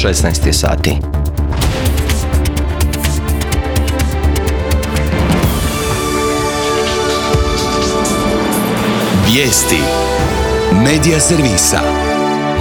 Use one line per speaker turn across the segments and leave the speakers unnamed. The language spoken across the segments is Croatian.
16 sati.
Vijesti Medija servisa.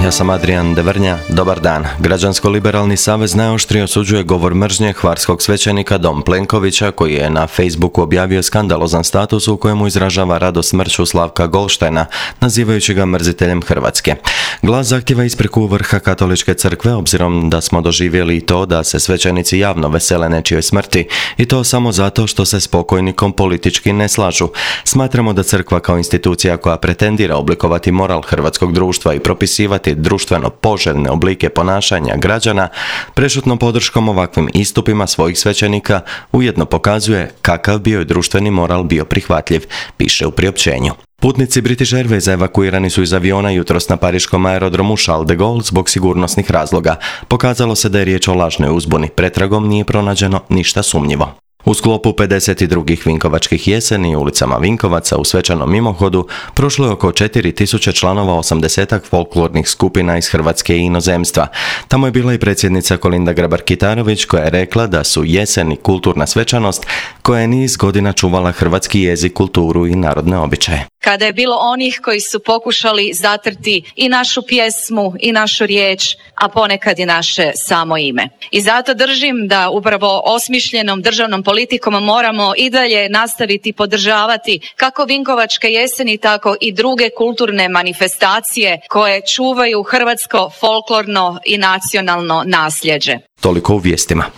Ja sam Adrian Devrnja, dobar dan. Građansko-liberalni savez najoštrije osuđuje govor mržnje hvarskog svećenika Dom Plenkovića, koji je na Facebooku objavio skandalozan status u kojemu izražava radost smrću Slavka Golštajna, nazivajući ga mrziteljem Hrvatske. Glas zahtjeva ispriku vrha Katoličke crkve, obzirom da smo doživjeli i to da se svećenici javno vesele nečijoj smrti, i to samo zato što se s pokojnikom politički ne slažu. Smatramo da crkva kao institucija koja pretendira oblikovati moral hrvatskog društva i propisivati društveno poželjne oblike ponašanja građana, prešutnom podrškom ovakvim istupima svojih svećenika ujedno pokazuje kakav bio je društveni moral bio prihvatljiv, piše u priopćenju. Putnici British Airwaysa evakuirani su iz aviona jutros na pariškom aerodromu Charles de Gaulle zbog sigurnosnih razloga. Pokazalo se da je riječ o lažnoj uzbuni. Pretragom nije pronađeno ništa sumnjivo. U sklopu 52. Vinkovačkih jeseni ulicama Vinkovaca u svečanom mimohodu prošlo je oko 4000 članova 80-ak folklornih skupina iz Hrvatske i inozemstva. Tamo je bila i predsjednica Kolinda Grabar-Kitarović, koja je rekla da su jeseni kulturna svečanost koja je niz godina čuvala hrvatski jezik, kulturu i narodne običaje.
Kada je bilo onih koji su pokušali zatrti i našu pjesmu i našu riječ, a ponekad i naše samo ime. I zato držim da upravo osmišljenom državnom politikom moramo i dalje nastaviti podržavati kako Vinkovačke jeseni, tako i druge kulturne manifestacije koje čuvaju hrvatsko folklorno i nacionalno nasljeđe.
Toliko u vijestima.